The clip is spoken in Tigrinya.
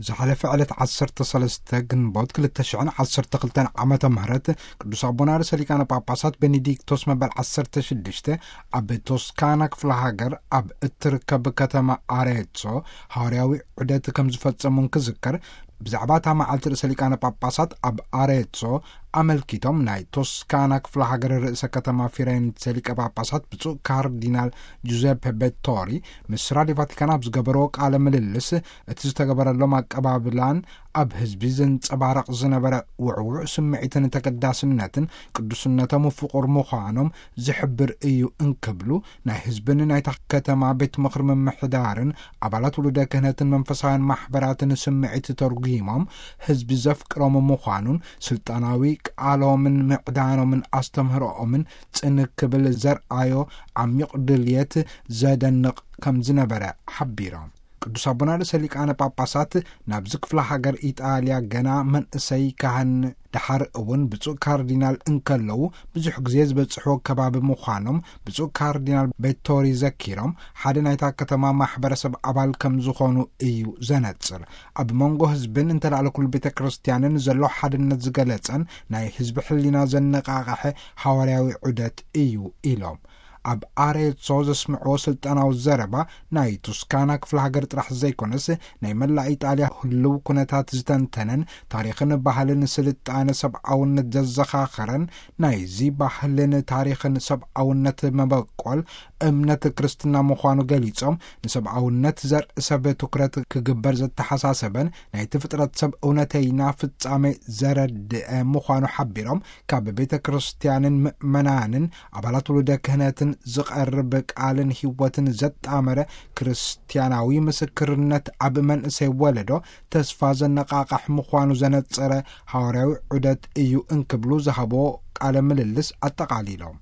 ዝሓለፈ ዕለት ዓሰርተ ሰለስተ ግንቦት ክልተ ሽሕን ዓሰርተ ክልተን ዓመተ ምህረት ቅዱስ ኣቦና ርእሰ ሊቃነ ጳጳሳት ቤኔዲክቶስ መበል ዓሰርተ ሽዱሽተ ኣብ ቶስካና ክፍለ ሃገር ኣብ እትርከብ ከተማ ኣሬትሶ ሃዋርያዊ ዑደት ከም ዝፈጸሙን ክዝከር፣ ብዛዕባ እታ መዓልቲ ርእሰ ሊቃነ ጳጳሳት ኣብ ኣሬትሶ ኣመልኪቶም ናይ ቶስካና ክፍለ ሃገር ርእሰ ከተማ ፊሬንሴ ሊቀ ጳጳሳት ብፁዕ ካርዲናል ጁዘፔ ቤቶሪ ምስ ራዲዮ ቫቲካን ኣብ ዝገበርዎ ቃለ ምልልስ፣ እቲ ዝተገበረሎም ኣቀባብላን ኣብ ህዝቢ ዘንጸባረቕ ዝነበረ ውዕውዕ ስምዒትን ተገዳስነትን ቅዱስነቶም ፍቑር ምዃኖም ዝሕብር እዩ እንክብሉ፣ ናይ ህዝብን ናይታ ከተማ ቤት ምኽሪ ምምሕዳርን ኣባላት ውሉደ ክህነትን መንፈሳውያን ማሕበራትን ስምዒት ተርጉሞም፣ ህዝቢ ዘፍቅሮም ምዃኑን ስልጣናዊ ቃሎምን ምዕዳኖምን ኣስተምህሮኦምን ጽን ክብል ዘርኣዮ ዓሚቕ ድልየት ዘደንቕ ከም ዝነበረ ሓቢሮም። ቅዱስ ኣቦና ርእሰ ሊቃነ ጳጳሳት ናብዚ ክፍለ ሃገር ኢጣልያ ገና መንእሰይ ካህን፣ ደሓር እውን ብፁዕ ካርዲናል እንከለዉ ብዙሕ ግዜ ዝበጽሕዎ ከባቢ ምዃኖም ብፁዕ ካርዲናል ቤቶሪ ዘኪሮም፣ ሓደ ናይታ ከተማ ማሕበረሰብ ኣባል ከም ዝኾኑ እዩ ዘነጽር። ኣብ መንጎ ህዝብን እንተላዕለ ኩሉ ቤተ ክርስቲያንን ዘሎ ሓድነት ዝገለጸን ናይ ህዝቢ ሕሊና ዘነቃቕሐ ሃዋርያዊ ዑደት እዩ ኢሎም። ኣብ ኣሬትሶ ዘስምዕዎ ስልጣናዊ ዘረባ ናይ ቱስካና ክፍለ ሃገር ጥራሕ ዘይኮነስ ናይ መላእ ኢጣልያ ህልው ኩነታት ዝተንተነን ታሪኽን ባህልን ስልጣነ ሰብኣውነት ዘዘኻኸረን፣ ናይዚ ባህልን ታሪኽን ሰብኣውነት መበቆል እምነት ክርስትና ምዃኑ ገሊጾም፣ ንሰብኣውነት ዘርኢ ሰብ ትኩረት ክግበር ዘተሓሳሰበን ናይቲ ፍጥረት ሰብ እውነተይና ፍጻሜ ዘረድአ ምዃኑ ሓቢሮም፣ ካብ ቤተ ክርስቲያንን ምእመናንን ኣባላት ውሉደ ክህነትን ዝቐርብ ቃልን ህይወትን ዘጣመረ ክርስቲያናዊ ምስክርነት ኣብ መንእሰይ ወለዶ ተስፋ ዘነቃቕሕ ምዃኑ ዘነጸረ ሃዋርያዊ ዑደት እዩ እንክብሉ ዝሃቦ ቃለ ምልልስ ኣጠቓሊሎም።